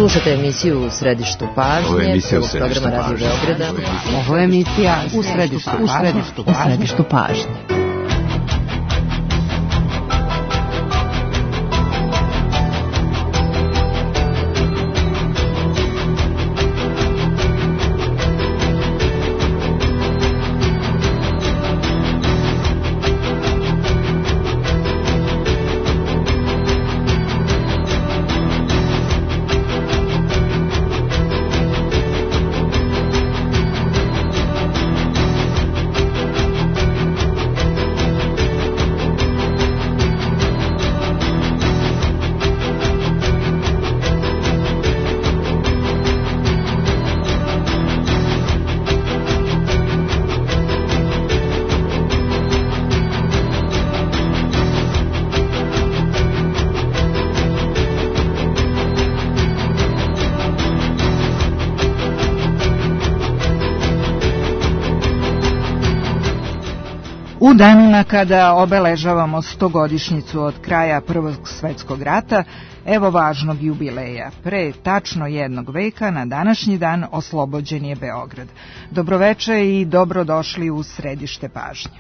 Slušate emisiju U središtu pažnje, prvog programa Radio Beograda. Ovo je emisija U središtu pažnje. U danima kada obeležavamo 100-godišnjicu od kraja Prvog svetskog rata, evo važnog jubileja. Pre tačno jednog veka na današnji dan oslobođen je Beograd. Dobroveče i dobrodošli u središte pažnje.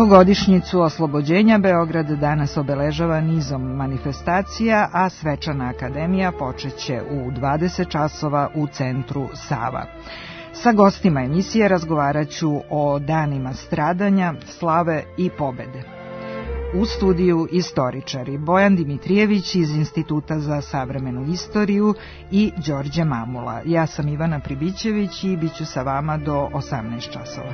Godišnjicu oslobođenja Beograd danas obeležava nizom manifestacija, a Svečana akademija počeće u 20 časova u centru Sava. Sa gostima emisije razgovaraću o danima stradanja, slave i pobede. U studiju istoričari Bojan Dimitrijević iz Instituta za savremenu istoriju i Đorđe Mamula. Ja sam Ivana Pribićević i bit ću sa vama do 18 časova.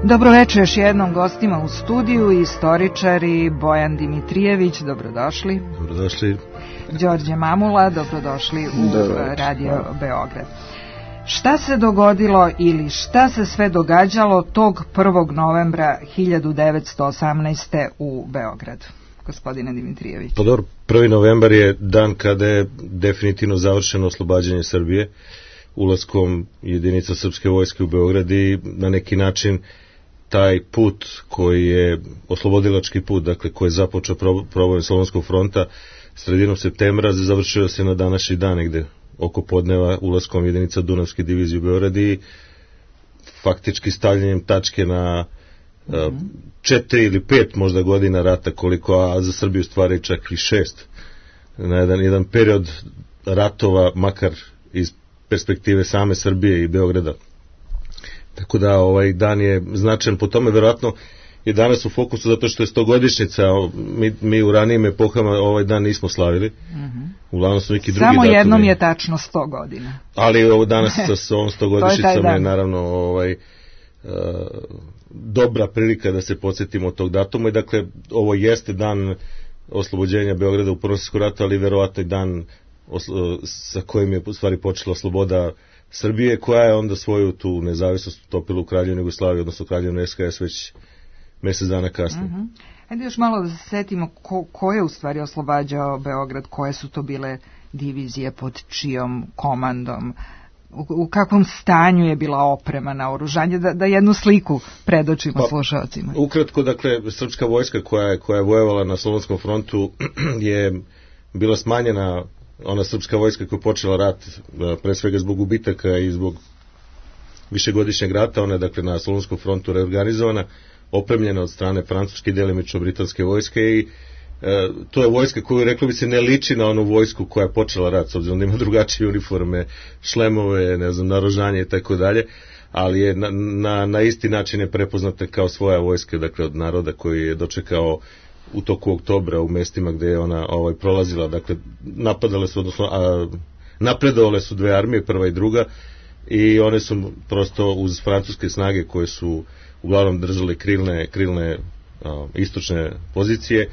Dobroveče još jednom gostima u studiju, istoričari Bojan Dimitrijević, dobrodošli. Dobrodošli. Đorđe Mamula, dobrodošli u Radio Beograd. Šta se dogodilo ili šta se sve događalo tog 1. novembra 1918. u Beogradu? Gospodine Dimitrijević. Pa dobro, 1. novembar je dan kada je definitivno završeno oslobađanje Srbije ulaskom jedinica srpske vojske u Beograd i na neki način taj put koji je oslobodilački put, dakle koji je započeo proboj Solunskog fronta sredinom septembra, završio se na današnji dan negde oko podneva ulaskom jedinica Dunavske divizije u Beograd i faktički stavljanjem tačke na 4 ili 5 možda godina rata, koliko, a za Srbiju stvari čak i 6, na jedan period ratova, makar iz perspektive same Srbije i Beograda. Tako da ovaj dan je značajan po tome, verovatno je danas u fokusu zato što je 100-godišnjica, mi u ranijim epohama ovaj dan nismo slavili. Uglavnom su neki drugi samo datumi. Jednom je tačno 100 godina. Ali ovo danas sa ovom 100-godišnjicom je naravno dobra prilika da se podsjetimo tog datuma i dakle ovo jeste dan oslobođenja Beograda u Prvom svjetskom ratu, ali verovatno i dan sa kojim je u stvari počela sloboda Srbije, koja je onda svoju tu nezavisnost utopila u Kraljevini Jugoslavije, odnosno Kraljevini SHS već mjesec dana kasnije. Ajde još malo da se setimo ko je u stvari oslobađao Beograd, koje su to bile divizije, pod čijom komandom, u kakvom stanju je bila oprema, naoružanje, da jednu sliku predočimo slušalcima. Ukratko, dakle, srpska vojska koja je vojevala na Solunskom frontu je bila smanjena. Ona srpska vojska koja je počela rat pre svega zbog gubitaka i zbog višegodišnjeg rata, ona je dakle na Solunskom frontu reorganizovana, opremljena od strane francuske i delimično britanske vojske i to je vojska koju, reklo bi se, ne liči na onu vojsku koja je počela rat, s obzirom da ima drugačije uniforme, šlemove, ne znam, naoružanje i tako dalje, ali je na isti način je prepoznata kao svoja vojska, dakle od naroda koji je dočekao u toku oktobra u mestima gde je ona prolazila, dakle napadale su, odnosno napredovale su dve armije, prva i druga, i one su prosto uz francuske snage koje su uglavnom držali krilne istočne pozicije,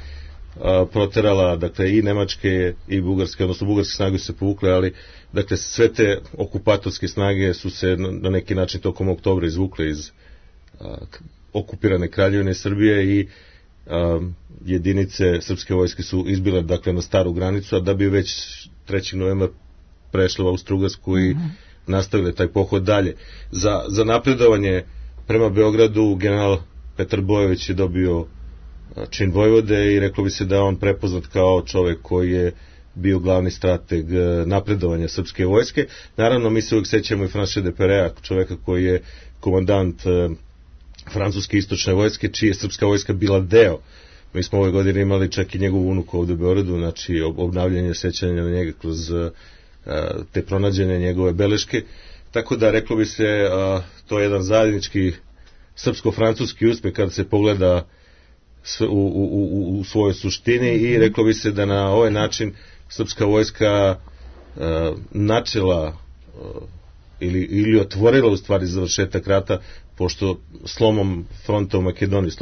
proterala, dakle, i nemačke i bugarske, odnosno bugarske snage su se povukle, ali dakle sve te okupatorske snage su se na neki način tokom oktobra izvukle iz okupirane Kraljevine Srbije i jedinice srpske vojske su izbile, dakle, na staru granicu, a da bi već 3. novembra prešle u Austrougarsku i nastavile taj pohod dalje. Za napredovanje prema Beogradu general Petar Bojović je dobio čin vojvode i reklo bi se da je on prepoznat kao čovek koji je bio glavni strateg napredovanja srpske vojske. Naravno, mi se uvijek sećamo i Francoisa de Perea, čoveka koji je komandant francuske istočne vojske, čiji je srpska vojska bila deo. Mi smo ove godine imali čak i njegovu unuku ovde u Beogradu, znači obnavljanje sećanja na njega kroz te pronađene njegove beleške. Tako da, reklo bi se, to je jedan zajednički srpsko-francuski uspeh kada se pogleda u svojoj suštini i reklo bi se da na ovaj način srpska vojska načela ili otvorila u stvari završetak rata, pošto slomom fronta u Makedoniji,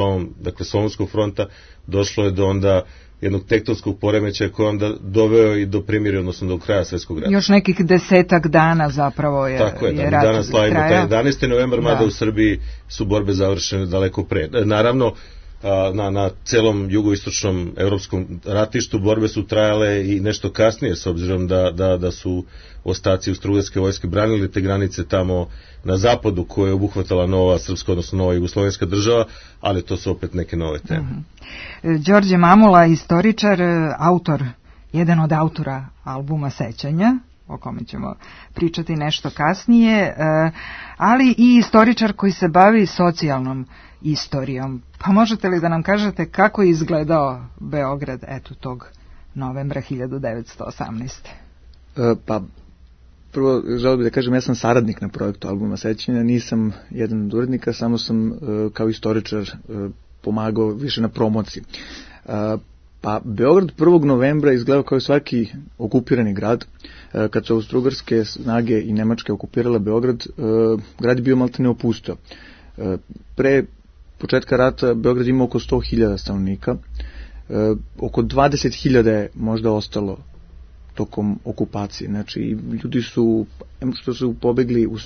dakle Solunskog fronta, došlo je do onda jednog tektonskog poremećaja koji onda doveo i do primirja, odnosno do kraja Svetskog rata. Još nekih 10 dana zapravo je rat. Tako je, da danas slavimo taj 11. novembar, mada u Srbiji su borbe završene daleko pre. Naravno, na celom jugoistočnom evropskom ratištu borbe su trajale i nešto kasnije, s obzirom da su ostaci Austrougarske vojske branili te granice tamo na zapadu koje je obuhvatala nova srpska, odnosno nova jugoslovenska država, ali to su opet neke nove teme. Đorđe Mamula, istoričar, jedan od autora albuma Sećanja, o kome ćemo pričati nešto kasnije, ali i istoričar koji se bavi socijalnom istorijom. Pa možete li da nam kažete kako je izgledao Beograd tog novembra 1918. Pa prvo želeo bih da kažem, ja sam saradnik na projektu albuma Sećanja, nisam jedan od urednika, samo sam kao istoričar pomagao više na promociji. Pa Beograd 1. novembra izgledao kao svaki okupirani grad. Kad su austrougarske snage i nemačke okupirale Beograd, grad je bio maltene opustio. Pre početka rata Beograd ima oko 100.000 stanovnika, oko 20.000 je možda ostalo tokom okupacije. Znači, ljudi su, što su pobegli u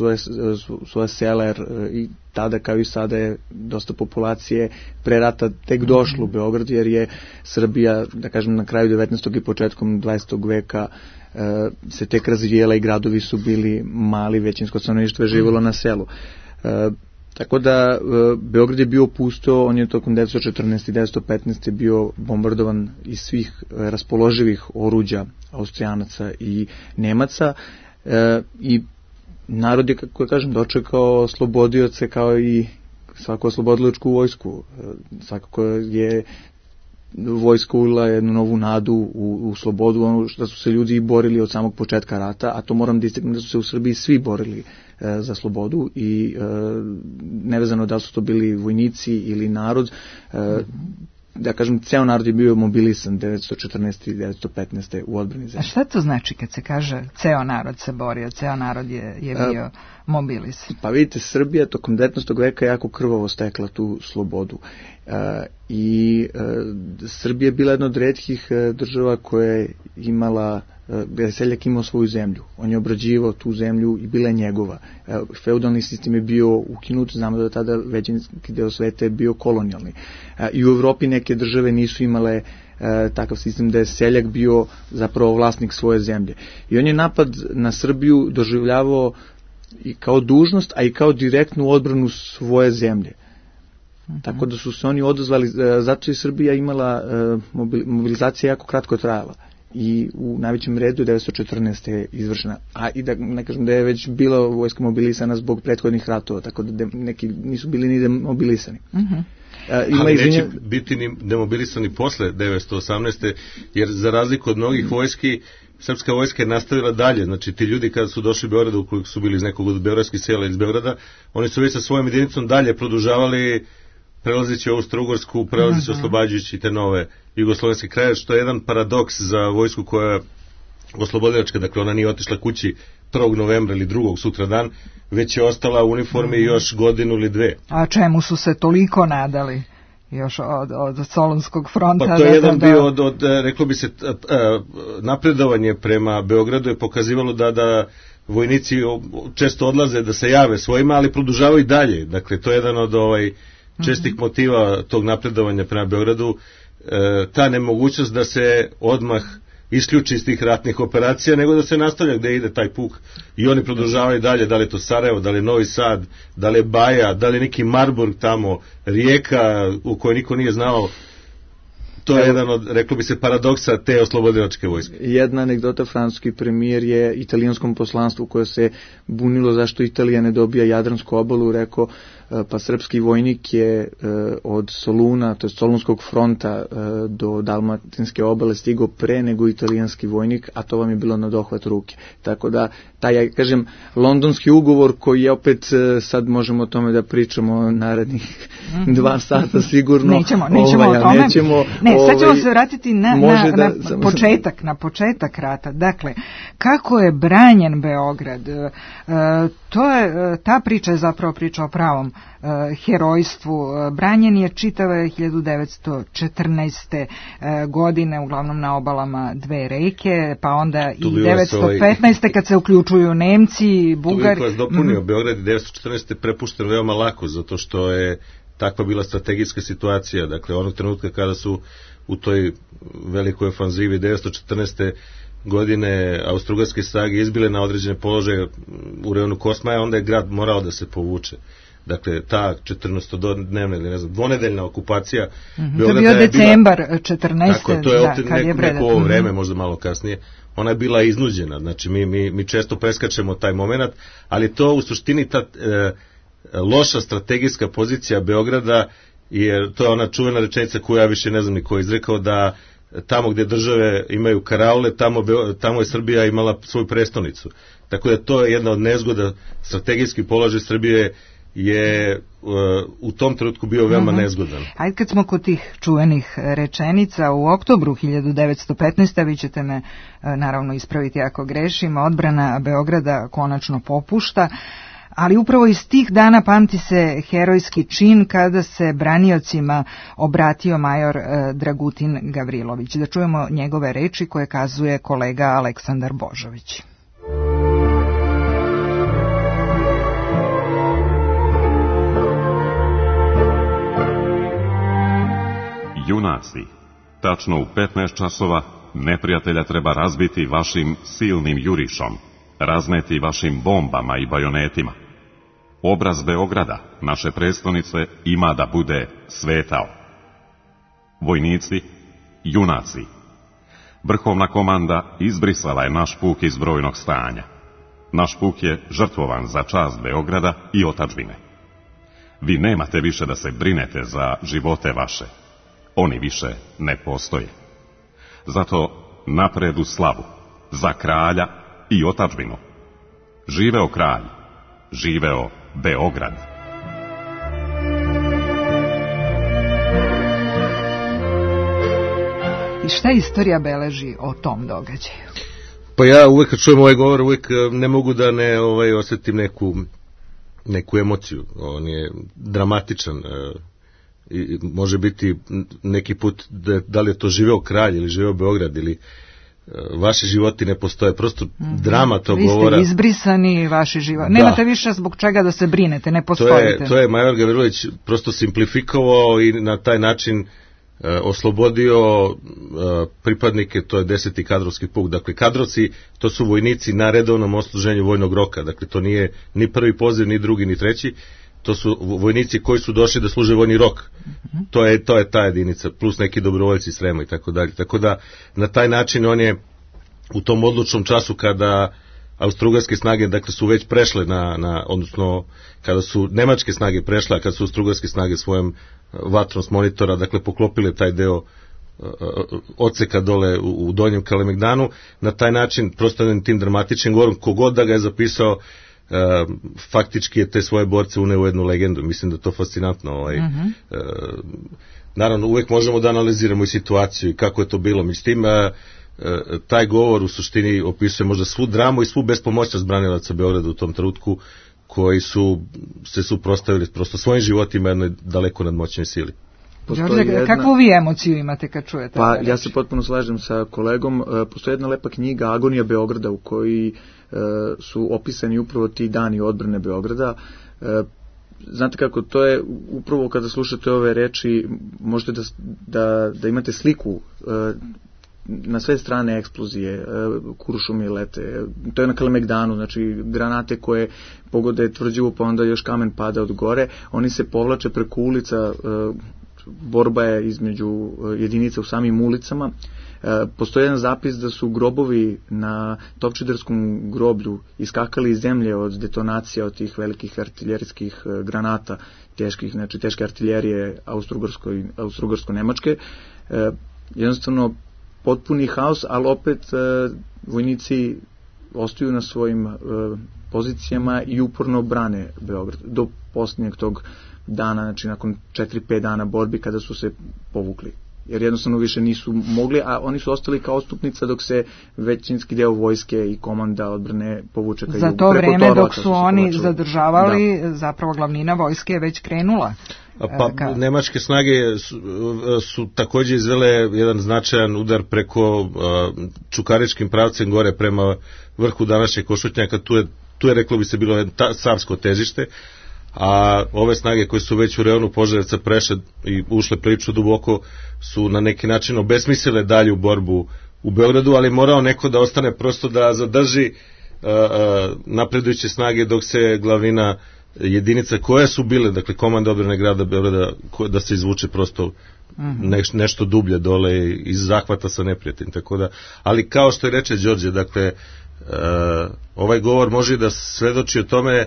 svoje sela, jer i tada kao i sada je dosta populacije pre rata tek došlo u Beograd, jer je Srbija, da kažem, na kraju 19. i početkom 20. veka se tek razvijela i gradovi su bili mali, većinsko stanovništvo je živjelo na selu. Tako da Beograd je bio pusto, on je tokom 1914. i 1915. bio bombardovan iz svih raspoloživih oruđa Austrijanaca i Nemaca i narod je, kako kažem, dočekao slobodioce kao i svaku oslobodilačku vojsku. Svakako je vojska ulila jednu novu nadu u slobodu, ono što su se ljudi borili od samog početka rata, a to moram da istaknem da su se u Srbiji svi borili za slobodu i nevezano da li su to bili vojnici ili narod, da kažem, ceo narod je bio mobilisan 1914. i 1915. u odbrani zemlje. A šta to znači kad se kaže ceo narod se borio, ceo narod je bio mobilisan? Pa vidite, Srbija tokom 19. veka jako krvavo stekla tu slobodu i Srbija je bila jedna od retkih država koja je imala, gde je seljak imao svoju zemlju. On je obrađivao tu zemlju i bila je njegova. Feudalni sistem je bio ukinut, znamo da tada većinski deo sveta je bio kolonijalni. I u Evropi neke države nisu imale takav sistem da je seljak bio zapravo vlasnik svoje zemlje. I on je napad na Srbiju doživljavao i kao dužnost, a i kao direktnu odbranu svoje zemlje. Tako da su se oni odazvali, zato je Srbija imala, mobilizacija jako kratko trajala. i u najvećem redu 1914. je izvršena. A i da ne kažem da je već bila vojska mobilisana zbog prethodnih ratova, tako da neki nisu bili ni demobilisani. Ali neće biti ni demobilisani posle 1918. jer za razliku od mnogih vojski, srpska vojska je nastavila dalje. Znači ti ljudi kada su došli u Beogradu, ukoliko su bili iz nekog od beogradskih sela iz Beograda, oni su već sa svojom jedinicom dalje produžavali, prelazeći Austro-Ugorsku, prelazeći oslobađajući te nove jugoslovenske kraje, što je jedan paradoks za vojsku koja je oslobodilačka, dakle ona nije otišla kući 1. novembra ili 2. sutra dan, već je ostala u uniformi još godinu ili dve. A čemu su se toliko nadali? Još od Solunskog fronta. Pa to je jedan bio od reklo bi se, napredovanje prema Beogradu je pokazivalo da vojnici često odlaze da se jave svojima, ali produžavaju i dalje. Dakle, to je jedan od čestih motiva tog napredovanja prema Beogradu, ta nemogućnost da se odmah isključi iz tih ratnih operacija, nego da se nastavlja gde ide taj puk i oni produžavaju dalje, da li je to Sarajevo, da li je Novi Sad, da li je Baja, da li je neki Marburg tamo, Rijeka u kojoj niko nije znao. To je jedan od, reklo bi se, paradoksa te oslobodilačke vojske. Jedna anegdota, francuski premijer je italijanskom poslanstvu koje se bunilo zašto Italija ne dobija Jadransku obalu, rekao pa srpski vojnik je od Soluna, to je Solunskog fronta do Dalmatinske obale stigao pre nego italijanski vojnik, a to vam je bilo na dohvat ruke. Tako da, taj, kažem, londonski ugovor koji je opet, sad možemo o tome da pričamo narednih 2 sata sigurno. Nećemo o tome. Sad ćemo se vratiti na početak rata. Dakle, kako je branjen Beograd? Ta priča je zapravo priča o pravom herojstvu. Branjen je čitave 1914. godine, uglavnom na obalama dve reke, pa onda i 1915. kad se uključuju Nemci, Bugari. Tu bih vas dopunio, Beograd je 1914. prepušten veoma lako, zato što je takva bila strategijska situacija. Dakle, onog trenutka kada su u toj velikoj ofanzivi 1914. godine austrougarske snage izbile na određene položaje u rejonu Kosmaja, onda je grad morao da se povuče. Dakle, ta 14-dnevna ili dvonedeljna okupacija Beograda je bio decembar 14. Tako, to je neko ovo vreme, možda malo kasnije. Ona je bila iznuđena. Znači, mi često preskačemo taj moment, ali to u suštini ta loša strategijska pozicija Beograda, jer to je ona čuvena rečenica koju ja više ne znam ni ko izrekao, da tamo gdje države imaju karaule, tamo je Srbija imala svoju prestonicu. Tako da to je jedna od nezgoda. Strategijski položaj Srbije je u tom trenutku bio veoma nezgodan. Ajde, kad smo kod tih čuvenih rečenica, u oktobru 1915. vi ćete me naravno ispraviti ako grešim, odbrana Beograda konačno popušta, ali upravo iz tih dana pamti se herojski čin kada se braniocima obratio major Dragutin Gavrilović. Da čujemo njegove reči koje kazuje kolega Aleksandar Božović. Junaci, tačno u 15 časova neprijatelja treba razbiti vašim silnim jurišom, razneti vašim bombama i bajonetima. Obraz Beograda, naše prestonice, ima da bude svetao. Vojnici, junaci, vrhovna komanda izbrisala je naš puk iz brojnog stanja. Naš puk je žrtvovan za čast Beograda i otadžbine. Vi nemate više da se brinete za živote vaše. Oni više ne postoje. Zato napred u slavu, za kralja i otadžbinu. Živeo kralj, živeo Beograd. I šta istorija beleži o tom događaju? Pa ja uvek kad čujem ovaj govor, uvek ne mogu da ne osjetim neku emociju. On je dramatičan. I može biti neki put da li je to živeo kralj ili živeo Beograd ili vaši životi ne postoje, prosto drama tog govora. Vi ste izbrisani, vaši životi. Nemate više zbog čega da se brinete, ne postojite. To je major Gavrilović prosto simplifikovao i na taj način oslobodio pripadnike, to je 10. kadrovski puk. Dakle, kadrovci, to su vojnici na redovnom odsluženju vojnog roka. Dakle, to nije ni prvi poziv, ni drugi, ni treći. to su vojnici koji su došli da služe vojni rok. To je ta jedinica, plus neki dobrovoljci iz Srema i tako dalje. Tako da na taj način on je u tom odlučnom času kada austrougarske snage dakle su već prešle odnosno kada su nemačke snage prešle, a kada su austrougarske snage svojom vatrom s monitora dakle poklopile taj deo odseka dole u Donjem Kalemegdanu, na taj način prosto tim dramatičnim govorom, kogod da ga je zapisao, faktički je te svoje borce uneo u jednu legendu. Mislim da je to fascinantno. Naravno, uvek možemo da analiziramo i situaciju i kako je to bilo. Međutim, taj govor u suštini opisuje možda svu dramu i svu bespomoćnost branilaca Beograda u tom trenutku, koji su se suprotstavili prosto svojim životima jednoj daleko nadmoćnoj sili. Đorđe, kakvu vi emociju imate kad čujete? Pa ja se potpuno slažem sa kolegom. Postoji jedna lepa knjiga Agonija Beograda u kojoj su opisani upravo ti dani odbrane Beograda. Znate kako, to je upravo kada slušate ove reči, možete da imate sliku na sve strane eksplozije, kuršumi lete, to je na Kalemegdanu, znači granate koje pogode tvrđivu, pa onda još kamen pada od gore, oni se povlače preko ulica, borba je između jedinica u samim ulicama. Postoji jedan zapis da su grobovi na Topčiderskom groblju iskakali iz zemlje od detonacija od tih velikih artiljerijskih granata, teških, znači teške artiljerije austrougarsko-nemačke. Jednostavno potpuni haos, ali opet vojnici ostaju na svojim pozicijama i uporno brane Beograd do posljednjeg tog dana, znači nakon 4-5 dana borbi kada su se povukli. Jer jednostavno više nisu mogli, a oni su ostali kao odstupnica dok se većinski deo vojske i komanda odbrane povuče ka jugu. Za to vreme dok su oni zadržavali, zapravo glavnina vojske je već krenula. Pa nemačke snage su također izvele jedan značajan udar preko Čukaričkim pravcem gore prema vrhu današnjeg Košutnjaka. Tu je reklo bi se bilo savsko težište, a ove snage koje su već u reonu Požarevca prešle i ušle prilično duboko su na neki način obesmislile dalju borbu u Beogradu, ali morao neko da ostane prosto da zadrži napredujuće snage dok se glavnina jedinica koje su bile, dakle komanda odbrane grada Beograda, da se izvuče prosto nešto dublje dole iz zahvata sa neprijateljem, tako da, ali kao što je reče Đorđe, dakle ovaj govor može da svedoči o tome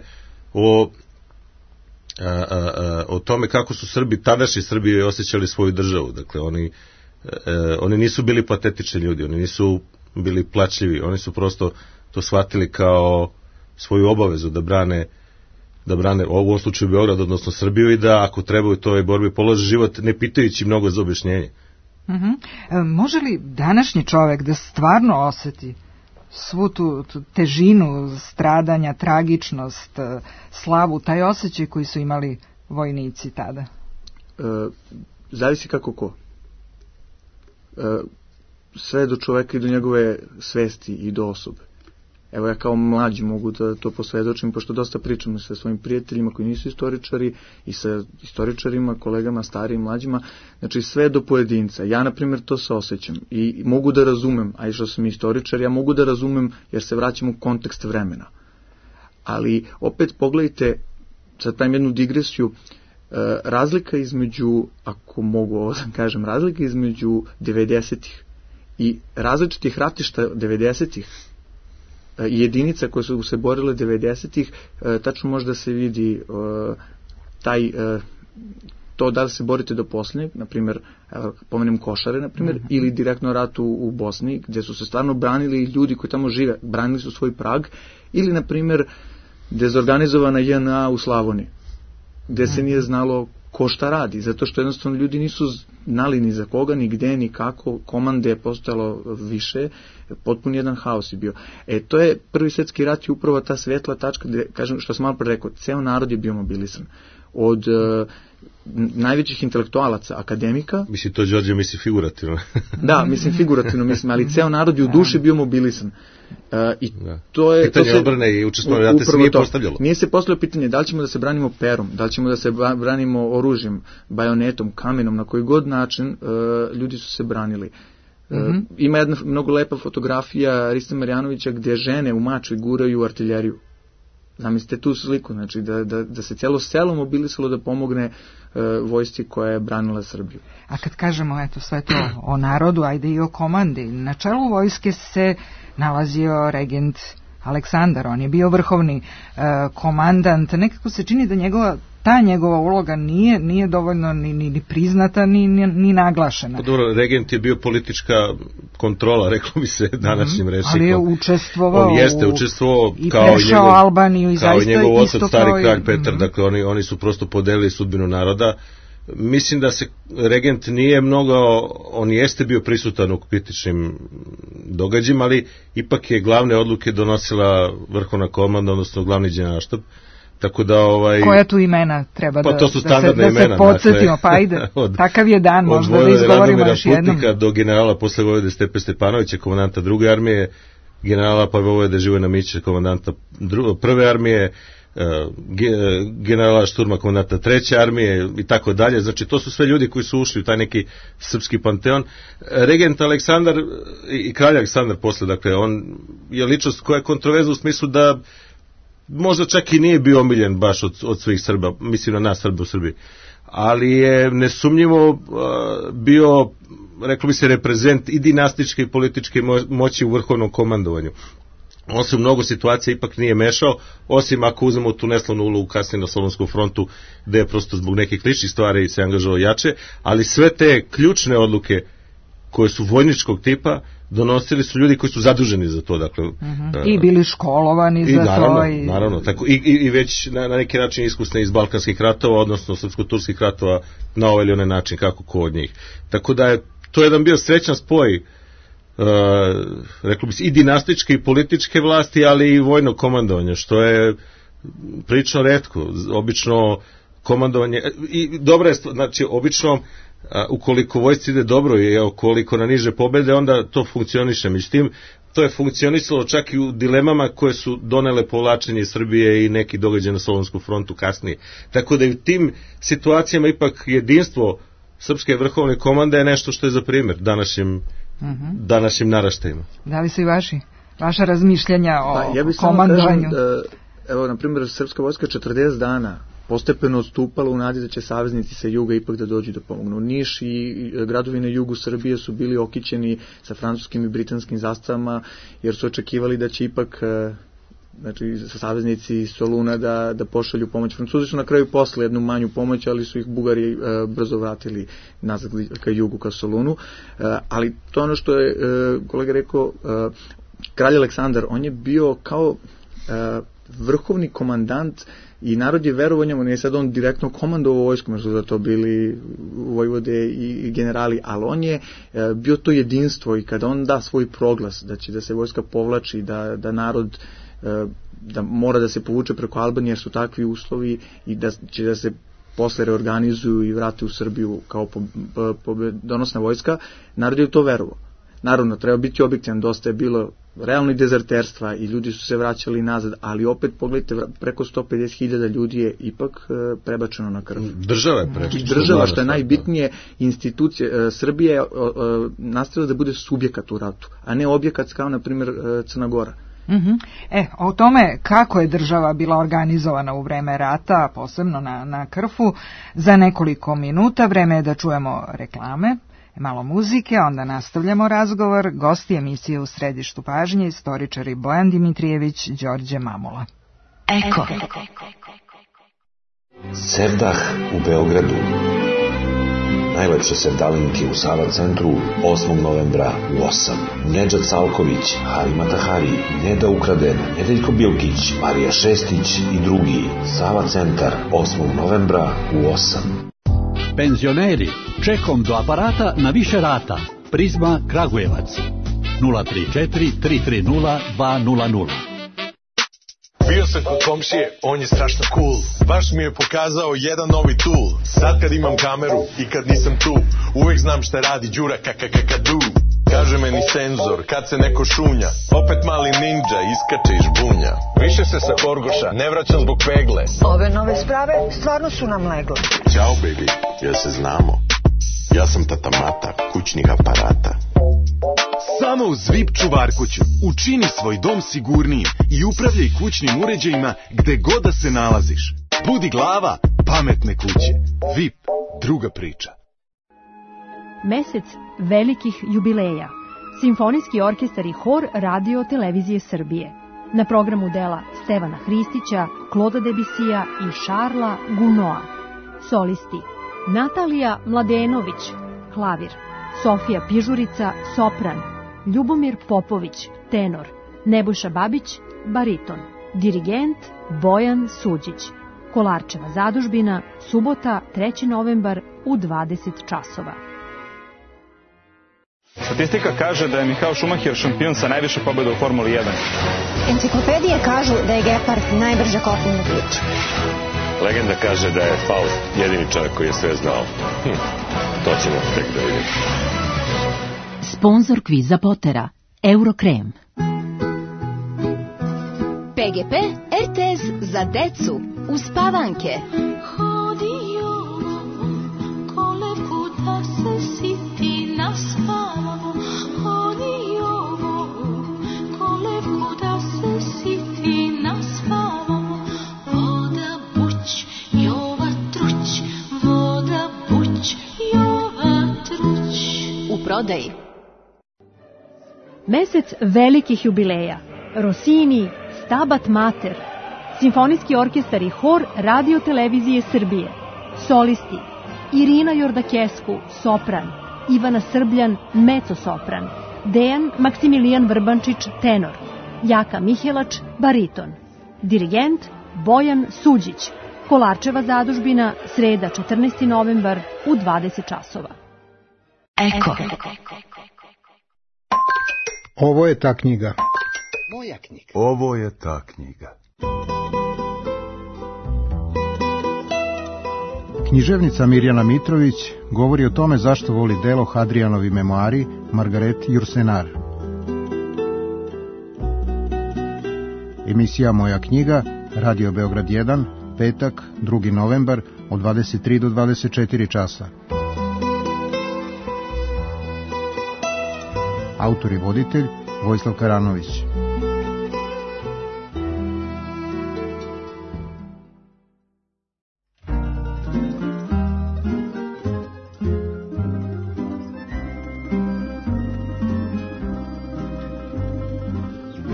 o tome kako su Srbi, tadašnji Srbi osjećali svoju državu. Dakle oni nisu bili patetični ljudi, oni nisu bili plačljivi, oni su prosto to shvatili kao svoju obavezu da brane u ovom slučaju Beograd, odnosno Srbiju, i da ako treba u toj borbi položi život ne pitajući mnogo za objašnjenje. Može li današnji čovjek da stvarno osjeti svu tu težinu stradanja, tragičnost, slavu, taj osjećaj koji su imali vojnici tada? Zavisi kako ko. Sve do čoveka i do njegove svesti i do osobe. Evo ja kao mlađi mogu da to posvedočim, pošto dosta pričam sa svojim prijateljima koji nisu istoričari i sa istoričarima, kolegama, starijim, mlađima, znači sve do pojedinca. Ja, na primjer, to se osjećam i mogu da razumem, a i što sam istoričar, ja mogu da razumem jer se vraćam u kontekst vremena. Ali opet pogledajte, sad pravim jednu digresiju, razlika između, ako mogu ovo da kažem, razlika između 90-ih i različitih ratišta 90-ih i jedinica koje su se borile 90-ih, tačno može da se vidi to da li se borite do posljednjeg, na primjer, pomenem Košare, na primjer, ili direktno rat u Bosni, gdje su se stvarno branili ljudi koji tamo žive, branili su svoj prag, ili, na primjer, dezorganizovana JNA u Slavoniji, gdje se nije znalo ko šta radi, zato što jednostavno ljudi nisu znali ni za koga, ni gde, ni kako, komande je postojalo više, potpun jedan haos je bio. To je Prvi svjetski rat i upravo ta svetla tačka, gde, kažem, što sam malo pre rekao, ceo narod je bio mobilisan. Od najvećih intelektualaca, akademika. Mislim, to Đorđe misli figurativno. Da, mislim figurativno, ali ceo narod je u duši bio mobilisan. I to je pitanje odbrane i učestvovanja rata se nije postavljalo. Nije se postavljalo pitanje da li ćemo da se branimo perom, da li ćemo da se branimo oružjem, bajonetom, kamenom, na koji god način ljudi su se branili. Ima jedna mnogo lepa fotografija Riste Marjanovića gdje žene u Mačvi guraju artiljeriju. Zamislite tu sliku, znači da se cijelo selo mobilisalo da pomogne vojsci koja je branila Srbiju. A kad kažemo eto sve to o narodu, ajde i o komandi, na čelu vojske se nalazio regent Aleksandar, on je bio vrhovni komandant, nekako se čini da njegova uloga nije dovoljno ni priznata, ni naglašena. Dobro, regent je bio politička kontrola, reklo bi se današnjim rečnikom. Ali je učestvovao. On jeste učestvovao i prešao Albaniju i zaista njegov isto otac, stari kralj Petar, dakle oni su prosto podelili sudbinu naroda. Mislim da se regent nije mnogo, on jeste bio prisutan u kritičnim događajima, ali ipak je glavne odluke donosila vrhovna komanda, odnosno glavni generalštab. Tako da koja tu imena treba to su standardna imena, se podsjetimo, pa ajde, takav je dan, možda da izgovorimo još jednom. Putnika do generala posle Vojvode Stepe Stepanovića, komandanta druge armije, generala pa Vojvode Živojina Mića, komandanta prve armije, generala Šturma, komandanta treće armije i tako dalje. Znači to su sve ljudi koji su ušli u taj neki srpski panteon. Regent Aleksandar i kralj Aleksandar posle, dakle on je ličnost koja je kontroverzna u smislu da možda čak i nije bio omiljen baš od svih Srba, mislim na nas Srbe u Srbiji, ali je nesumnjivo bio, reklo bi se, reprezent i dinastičke i političke moći u vrhovnom komandovanju. On se u mnogo situacija ipak nije mešao, osim ako uzmemo tu neslavnu ulogu kasnije na Solunskom frontu, gde je prosto zbog nekih ličnih stvari se angažovao jače, ali sve te ključne odluke koje su vojničkog tipa donosili su ljudi koji su zaduženi za to, dakle i bili školovani za to naravno tako i već na neki način iskusni iz balkanskih ratova, odnosno srpsko-turskih ratova na ovaj ili onaj način, kako ko od njih. Tako da je to jedan bio srećan spoj reklo bi se i dinastičke i političke vlasti, ali i vojno komandovanje, što je prilično retko. Obično komandovanje i dobra je, znači obično ukoliko vojsci ide dobro i ukoliko na niže pobede, onda to funkcioniše. Međutim, to je funkcionisalo čak i u dilemama koje su donele povlačenje Srbije i neki događaj na Solunskom frontu kasnije. Tako da i u tim situacijama ipak jedinstvo srpske vrhovne komande je nešto što je za primjer današnjim naraštajima. Da li su i vaša razmišljanja o komandovanju? Evo, na primjer, srpska vojska 40 dana postepeno odstupala u nadi da će saveznici sa juga ipak da dođu da pomognu. Niš i gradovi na jugu Srbije su bili okićeni sa francuskim i britanskim zastavama, jer su očekivali da će ipak znači saveznici Soluna da pošalju pomoć. Francuzi su na kraju posle jednu manju pomoć, ali su ih Bugari brzo vratili nazad ka jugu, ka Solunu. Ali to ono što je kolega rekao, kralj Aleksandar, on je bio kao vrhovni komandant i narod je verovao njemu, nije sad on direktno komandovao vojskom, jer su za to bili vojvode i generali, ali on je bio to jedinstvo i kada on da svoj proglas da će da se vojska povlači, da narod da mora da se povuče preko Albanije jer su takvi uslovi i da će da se posle reorganizuju i vrate u Srbiju kao donosna vojska, narod je u to verovao. Naravno, treba biti objektivan, dosta je bilo realno i dezerterstva i ljudi su se vraćali nazad, ali opet pogledajte, preko 150.000 ljudi je ipak prebačeno na krv. Država je prebačena. Država, što je najbitnije, institucije, Srbija je nastavila da bude subjekat u ratu, a ne objekat kao, na primjer, Crna Gora. O tome kako je država bila organizovana u vreme rata, posebno na Krfu, za nekoliko minuta. Vreme je da čujemo reklame, malo muzike, onda nastavljamo razgovor. Gosti emisije U središtu pažnje, istoričari Bojan Dimitrijević, Đorđe Mamula. Eko. Sevdah u Beogradu. Najlepše sevdalinke u Sava centru 8. novembra u 8. Nedžad Salković, Harima Tahari, Neda Ukraden, Nedeljko Bilkić, Marija Šestić i drugi. Sava centar 8. novembra u 8. Penzioneri, čekom do aparata na više rata. Prizma Kragujevac 034 330 200. Bio sam kod komšije, on je strašno cool. Baš mi je pokazao jedan novi tool. Sad kad imam kameru i kad nisam tu, uvek znam šta radi Đura kakakakadu. Kaže meni senzor, kad se neko šunja, opet mali ninja iskače iz žbunja. Više se sa Korgoša ne vraćam zbog pegle. Ove nove sprave stvarno su nam legle. Ćao baby, jel se znamo? Ja sam tata Mata, kućnih aparata. Samo uz VIP čuvarkuću. Učini svoj dom sigurnijim i upravljaj kućnim uređajima gde god da se nalaziš. Budi glava pametne kuće. VIP, druga priča. Mesec velikih jubileja. Simfonijski orkestar i hor Radio Televizije Srbije. Na programu dela Stevana Hristića, Kloda Debisija i Šarla Gunoa. Solisti: Natalija Mladenović, klavir; Sofija Pižurica, sopran; Ljubomir Popović, tenor; Nebojša Babić, bariton; dirigent Bojan Suđić. Kolarčeva zadužbina, subota, 3. novembar u 20 časova. Statistika kaže da je Michael Schumacher šampion sa najviše pobjeda u Formuli 1. Enciklopedije kažu da je Gepard najbrža kopnena priča. Legenda kaže da je Faust jedini čovjek koji je sve znao. To ćemo tek da vidimo. Sponzor kviza Potera, Eurokrem. PGP RTS za decu, uspavanke. Prodaji. Mesec velikih jubileja. Rossini, Stabat Mater. Simfonijski orkestar i hor Radio Televizije Srbije. Solisti: Irina Jordakesku, sopran; Ivana Srbljan, mezzo-sopran; Dejan Maksimilijan Vrbančić, tenor; Jaka Mihelač, bariton; dirigent Bojan Suđić. Kolarčeva zadužbina, sreda, 14. novembar u 20 časova. Eko. Ovo je ta knjiga. Moja knjiga. Ovo je ta knjiga. Književnica Mirjana Mitrović govori o tome zašto voli delo Hadrijanovi memoari Margaret Jursenar. Emisija Moja knjiga, Radio Beograd 1, petak, 2. novembar, od 23 do 24 časa. Autor i voditelj Vojislav Karanović.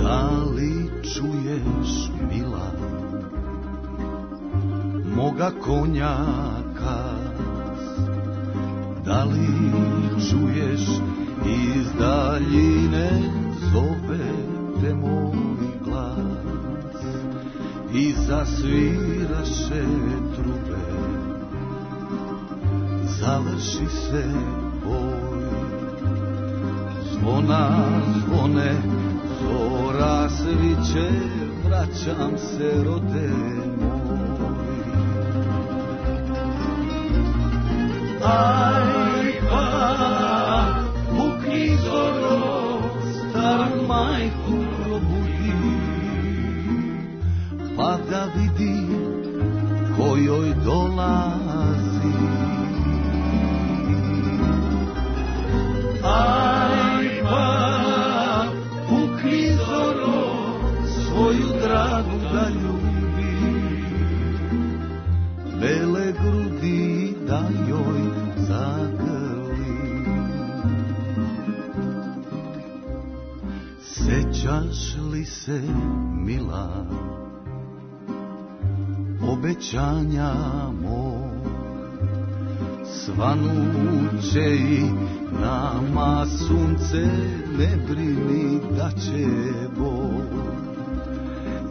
Da li čuješ, mila, moga konjaka? Da li čuješ iz daljine zove te moj glas i zasviraše trube, završi se boj, zvona zvone, zora sviće, vraćam se rode moj. Aj pa pukni zoro, staru majku probudi, pa da vidi ko joj dolazi. Aj pa pukni zoro, svoju dragu da ljubi, bele grudi da joj zagrli. Sećaš li se, mila, obećanja mog, svanuće i nama sunce, ne brini da će Bog.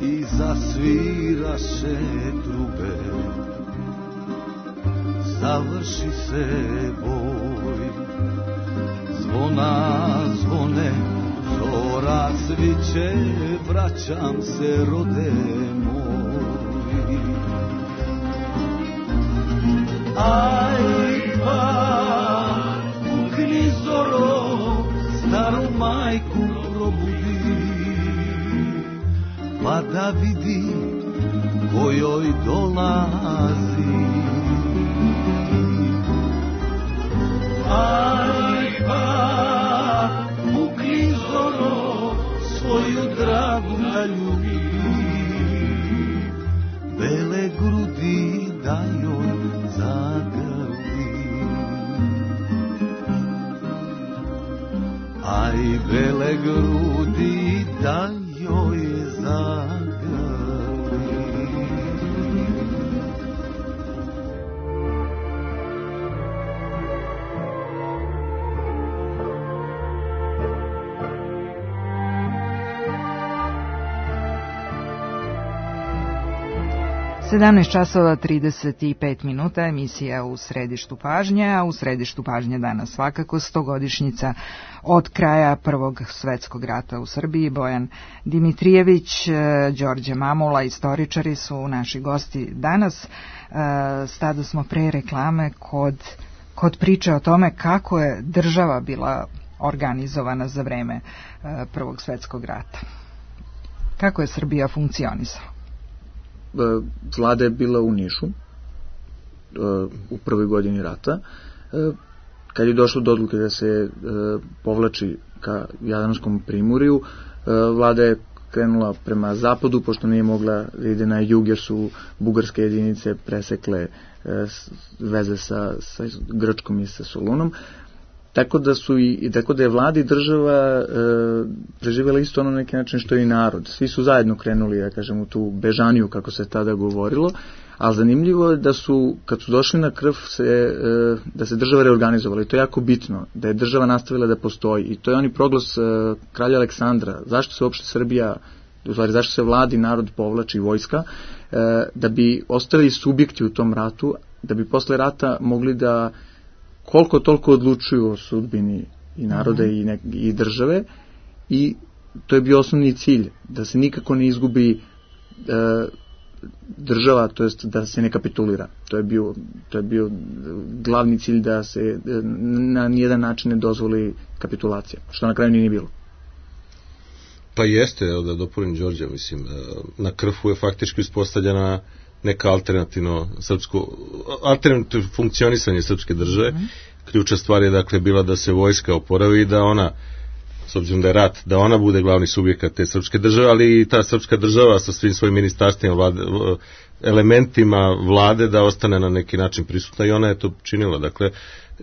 I zasviraše trube, završi se boj, zvona zvone, zora sviće, vraćam se rode moj. Aj pa pukni zoro, staru majku probudi, pa da vidi ko joj dolazi. Aj pa pukni zoro, a i bele grudi da joj zagrli. 17 časova 35 minuta, emisija U središtu pažnje, a u središtu pažnje danas svakako 100-godišnjica od kraja Prvog svetskog rata u Srbiji. Bojan Dimitrijević, Đorđe Mamula, istoričari su naši gosti danas. Stada smo pre reklame kod priče o tome kako je država bila organizovana za vreme Prvog svetskog rata. Kako je Srbija funkcionisala? Vlada je bila u Nišu u prvoj godini rata. Kad je došlo do odluke da se povlači ka Jadranskom primorju, vlada je krenula prema zapadu, pošto nije mogla da ide na jug, jer su bugarske jedinice presekle veze sa Grčkom i sa Solunom. Tako da je vlada i država preživjela isto ono na neki način što i narod. Svi su zajedno krenuli, ja kažem, u tu bežaniju, kako se tada govorilo, ali zanimljivo je da su, kad su došli na krv, da se država reorganizovala, i to je jako bitno, da je država nastavila da postoji, i to je oni proglas kralja Aleksandra. Zašto se uopšte Srbija, u stvari zašto se vladi, narod povlači, vojska, da bi ostali subjekti u tom ratu, da bi posle rata mogli da koliko toliko odlučuju o sudbini i naroda i države, i to je bio osnovni cilj, da se nikako ne izgubi država, to jest da se ne kapitulira. To je bio glavni cilj, da se na nijedan način ne dozvoli kapitulacija, što na kraju nije bilo. Pa jeste, da dopunim Đorđa, mislim, na Krfu je faktički uspostavljena neka alternativno funkcionisanje srpske države. Ključna stvar je dakle bila da se vojska oporavi i da ona, s obzirom da je rat, da ona bude glavni subjekat te srpske države, ali i ta srpska država sa svim svojim ministarstvima, elementima vlade, da ostane na neki način prisutna, i ona je to činila. Dakle,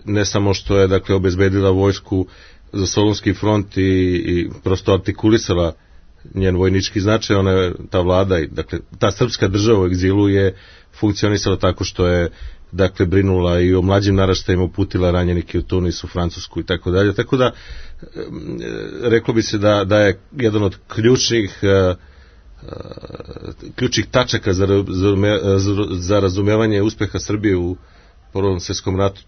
ne samo što je dakle obezbedila vojsku za Solunski front i prosto artikulisala njen vojnički značaj, ona je, ta vlada, dakle ta srpska država u egzilu je funkcionisala tako što je dakle brinula i o mlađim naraštajima, uputila ranjenike u Tunis, u Francusku i tako dalje. Tako da reklo bi se da je jedan od ključnih tačaka za razumevanje uspeha Srbije u Prvom svjetskom ratu,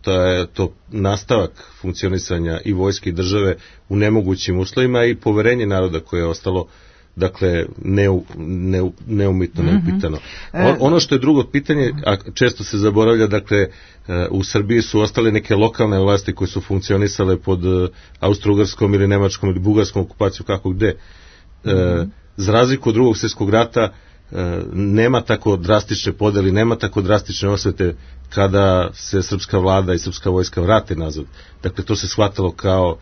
to nastavak funkcionisanja i vojske i države u nemogućim uslovima i poverenje naroda koje je ostalo dakle neumitno, neupitano. Ono što je drugo pitanje, a često se zaboravlja, dakle u Srbiji su ostale neke lokalne vlasti koje su funkcionisale pod austro-ugarskom ili nemačkom ili bugarskom okupacijom, kako gde. Za razliku od Drugog svjetskog rata nema tako drastične podeli, nema tako drastične osvete kada se srpska vlada i srpska vojska vrate nazad. Dakle, to se shvatalo kao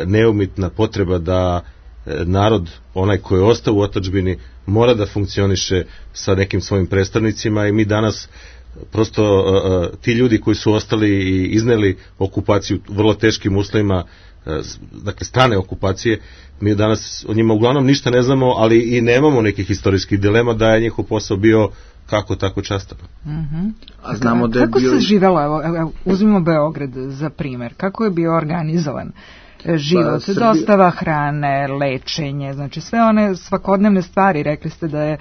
neumitna potreba da narod, onaj koji je ostao u otadžbini, mora da funkcioniše sa nekim svojim predstavnicima, i mi danas prosto ti ljudi koji su ostali i izneli okupaciju u vrlo teškim uslovima, dakle strane okupacije, mi danas o njima uglavnom ništa ne znamo, ali i nemamo nekih historijskih dilema da je njihov posao bio kako tako častan. A znamo da je kako se živelo, evo, uzmimo Beograd za primer, kako je bio organizovan život, dostava hrane, lečenje, znači sve one svakodnevne stvari. Rekli ste da je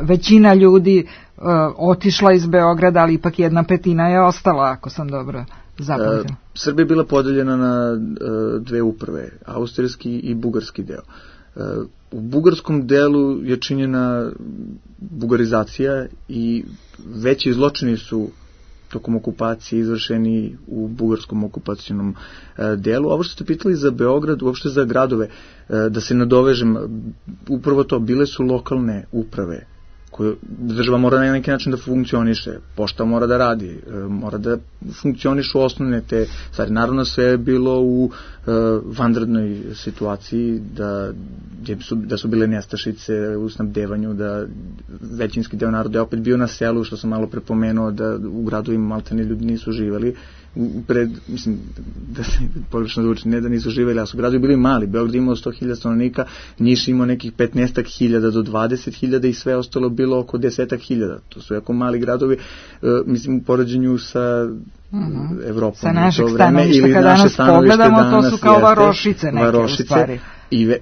većina ljudi otišla iz Beograda, ali ipak 1/5 je ostala, ako sam dobro zapamtila. Srbija je bila podeljena na dve uprave, austrijski i bugarski deo. U bugarskom delu je činjena bugarizacija i veći zločini su tokom okupacije izvršeni u bugarskom okupacionom delu. Ovo što ste pitali za Beograd, uopšte za gradove, da se nadovežem, upravo to, bile su lokalne uprave koje država mora na neki način da funkcioniše, pošta mora da radi, mora da funkcionišu osnovne te stvari. Naravno, sve je bilo u vanrednoj situaciji, da su bile nestašice u snabdevanju, da većinski deo naroda je opet bio na selu, što sam malo prepomenuo, da u gradovima maltene ljudi nisu živali, mislim, pogrešno zvuči, ne da nisu živeli, a su gradovi bili mali. Beograd imao 100.000 stanovnika, Niš imao nekih 15.000 do 20.000 i sve ostalo bilo oko 10.000. To su jako mali gradovi, mislim, u poređenju sa Evropom. Sa našeg stanovišta, kada danas pogledamo, to su kao varošice neke u stvari.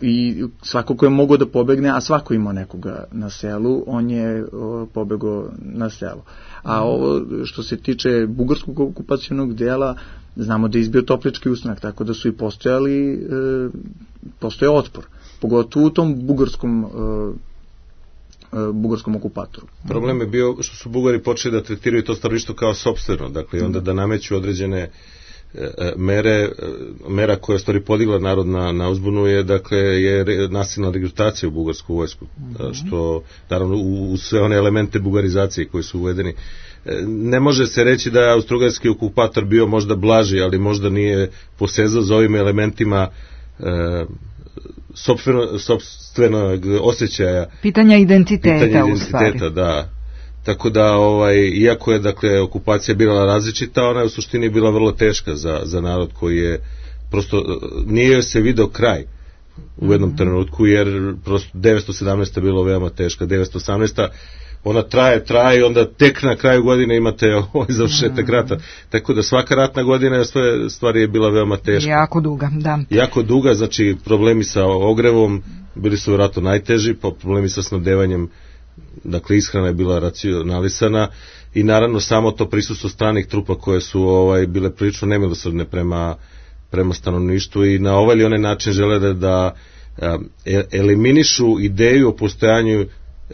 I svako ko je mogao da pobegne, a svako imao nekoga na selu, on je pobegao na selo. A ovo što se tiče bugarskog okupacionog dela, znamo da je izbio Toplički ustanak, tako da su i postojao otpor, pogotovo u tom bugarskom okupatoru. Problem je bio što su Bugari počeli da tretiraju to stanovništvo kao sopstveno, dakle i onda da nameću određene mera koja je stvari podigla narod na uzbunu je, dakle, je nasilna regrutacija u bugarsku vojsku, što naravno u sve one elemente bugarizacije koji su uvedeni. Ne može se reći da je austrougarski okupator bio možda blaži, ali možda nije posezao za ovim elementima sopstvenog osjećaja, pitanja identiteta u stvari. Da. Tako da, iako je, dakle, okupacija bila različita, ona je u suštini bila vrlo teška za narod koji je, prosto, nije se video kraj u jednom trenutku, jer prosto 917. je bilo veoma teška, 918. ona traje i onda tek na kraju godine imate završetak rata. Tako da svaka ratna godina stvari je bila veoma teška. Jako duga, da. Jako duga, znači problemi sa ogrevom bili su vjerojatno najteži, problemi sa snabdevanjem, dakle ishrana je bila racionalisana i naravno samo to prisustvo stranih trupa koje su bile prilično nemilosrdne prema stanovništvu i na ovaj ili onaj način žele da eliminišu ideju o postojanju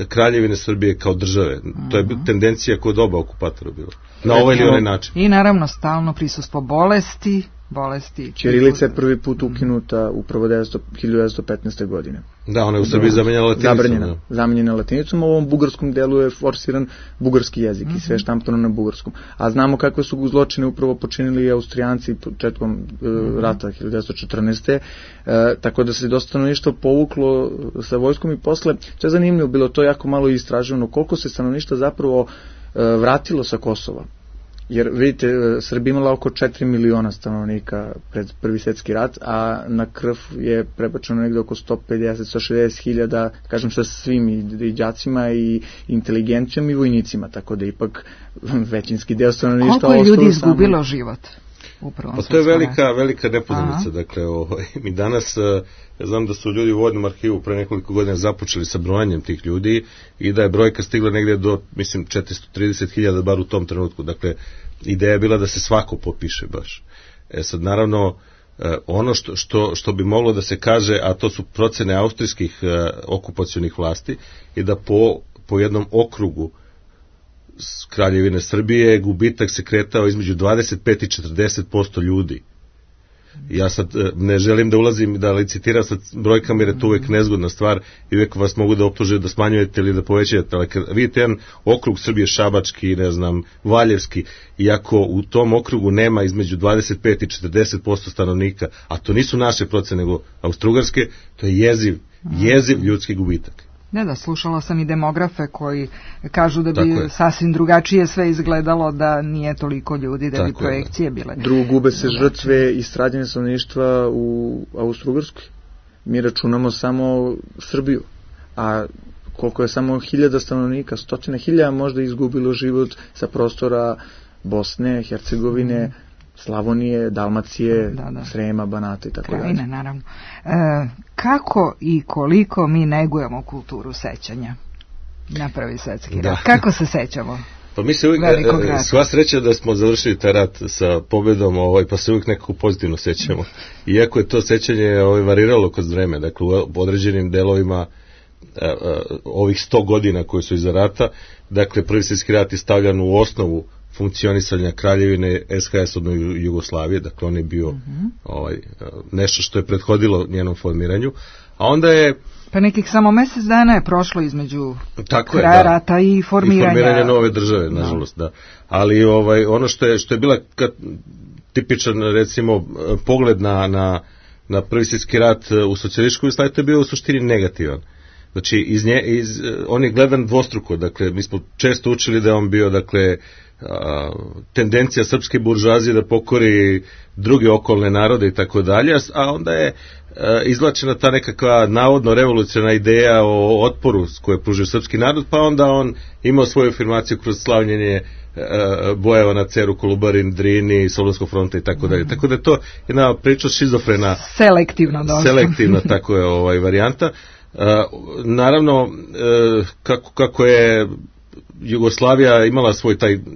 Kraljevine Srbije kao države. To je tendencija kod oba okupatora bila. Na ovaj ili onaj način. I naravno stalno prisustvo bolesti. Ćirilica je prvi put ukinuta upravo 1915. godine. Da, ona je u Srbiji zamenjena latinicom, u ovom bugarskom delu je forsiran bugarski jezik i sve štampano na bugarskom. A znamo kakve su zločine upravo počinili Austrijanci početkom rata 1914. Tako da se dosta stanovništva povuklo sa vojskom i posle, što je zanimljivo, bilo to jako malo istraživano, koliko se stanovništva zapravo vratilo sa Kosova. Jer vidite, Srbija imala oko 4 miliona stanovnika pred Prvi svjetski rat, a na krv je prebačeno negde oko 150-160 hiljada, kažem sa svim i đacima i inteligencijom i vojnicima, tako da ipak većinski deo stanovništva koliko je ljudi izgubilo život? Pa to je velika nepoznanica. Dakle, mi danas, ja znam da su ljudi u Vojnom arhivu pre nekoliko godina započeli sa brojanjem tih ljudi i da je brojka stigla negdje do, mislim, 430.000 bar u tom trenutku. Dakle, ideja je bila da se svako popiše baš. Sad, naravno, ono što bi moglo da se kaže, a to su procene austrijskih okupacionih vlasti, je da po jednom okrugu Kraljevine Srbije gubitak se kretao između 25 i 40% ljudi. Ja sad ne želim da ulazim i da licitiram sa brojkama jer je to uvijek nezgodna stvar i uvijek vas mogu da optuže da smanjujete ili da povećate, ali kad vidite jedan okrug Srbije šabački, ne znam, valjevski, iako u tom okrugu nema između 25 i 40% stanovnika, a to nisu naše procene nego austrougarske, to je jeziv ljudski gubitak. Da, slušala sam i demografe koji kažu da bi sasvim drugačije sve izgledalo da nije toliko ljudi, da bi projekcije bile. Drugo, gube se žrtve i stradanje stanovništva u Austrougarskoj. Mi računamo samo Srbiju, a koliko je samo 1000 stanovnika, 100.000 možda izgubilo život sa prostora Bosne, Hercegovine, Slavonije, Dalmacije, Srema, Banata i tako dalje. Krajine, naravno. Kako i koliko mi negujemo kulturu sećanja na Prvi svjetski rat? Kako se sećamo? Pa mi se uvijek, sva sreća da smo završili taj rat sa pobedom, pa se uvijek nekako pozitivno sećamo. Iako je to sećanje variralo kroz vreme, dakle u određenim delovima ovih 100 godina koji su iza rata, dakle Prvi svjetski rat je stavljan u osnovu funkcionisanja Kraljevine SHS od Jugoslavije, dakle on je bio nešto što je prethodilo njenom formiranju, a onda je pa nekih samo mjesec dana je prošlo između kraja rata i formiranja nove države, nažalost, da. Ali ono što je bila tipičan, recimo, pogled na Prvi svjetski rat u socijalističkoj Jugoslaviji, to je bio u suštini negativan. Znači, on je gledan dvostruko, dakle, mi smo često učili da je on bio, dakle, tendencija srpske buržuazije da pokori druge okolne narode i tako dalje, a onda je izvlačena ta nekakva navodno revolucionarna ideja o otporu koje pružio srpski narod, pa onda on imao svoju afirmaciju kroz slavljenje bojeva na Ceru, Kolubarin, Drini, Solunskog fronta i tako dalje. Tako da je to jedna priča šizofrena. Selektivna tako je varijanta. Naravno, kako je Jugoslavija imala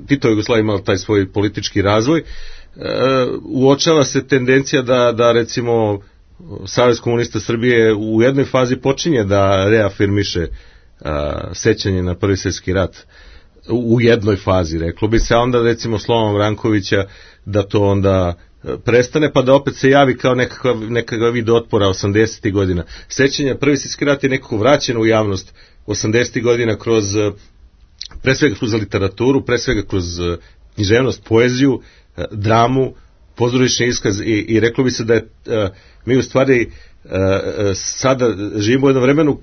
Tito Jugoslavija imala taj svoj politički razvoj, uočava se tendencija da recimo Savez komunista Srbije u jednoj fazi počinje da reafirmiše sećanje na Prvi svjetski rat. U jednoj fazi, reklo bi se, a onda recimo slovom Rankovića da to onda prestane, pa da opet se javi kao nekakav vid otpora 80. godina. Sećanje Prvi svjetski rat je nekako vraćeno u javnost 80. godina pre svega kroz literaturu, pre svega kroz književnost, poeziju, dramu, pozorišni iskaz i reklo bi se da je mi u stvari sada živimo u jednom vremenu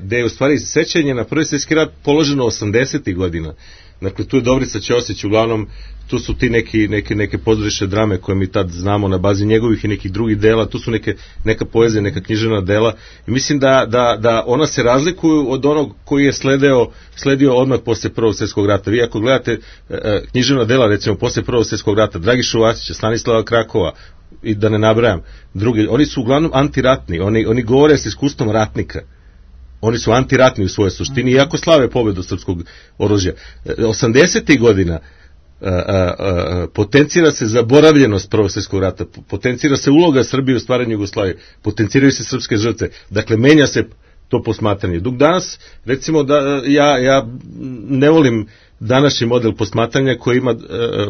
gde je u stvari sećanje na Prvi svjetski rat položeno 80. godina. Dakle, tu je Dobrica Ćosić, uglavnom tu su ti neke pozorišne drame koje mi tad znamo na bazi njegovih i nekih drugih dela, tu su neka poezija, neka književna dela i mislim da ona se razlikuju od onog koji je sledio odmah posle Prvog svjetskog rata. Vi ako gledate književna dela recimo posle Prvog svjetskog rata, Dragišu Vasića, Stanislava Krakova i da ne nabrajam drugi, oni su uglavnom antiratni, oni govore s iskustvom ratnika. Oni su antiratni u svojoj suštini, iako slave pobedu srpskog oružja. 80. godina potencira se zaboravljenost Prvog svjetskog rata, potencira se uloga Srbije u stvaranju Jugoslavije, potenciraju se srpske žrtve. Dakle, menja se to posmatranje. Dok danas, recimo, ja ne volim današnji model posmatranja koji ima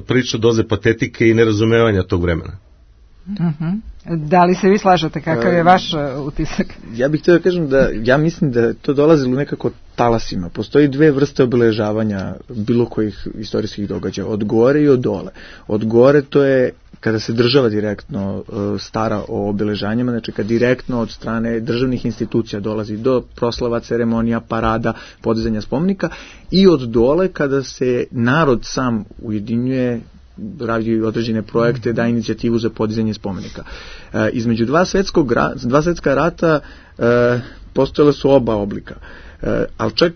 prilično doze patetike i nerazumevanja tog vremena. Da li se vi slažete, kakav je vaš utisak? Ja bih htio da kažem da ja mislim da to dolazilo nekako talasima. Postoji dve vrste obeležavanja bilo kojih istorijskih događaja, od gore i od dole. Od gore to je kada se država direktno stara o obeležanjima, znači kad direktno od strane državnih institucija dolazi do proslava, ceremonija, parada, podizanja spomenika, i od dole kada se narod sam ujedinjuje, radi određene projekte, da inicijativu za podizanje spomenika. Između dva svjetska rata postojale su oba oblika, ali čak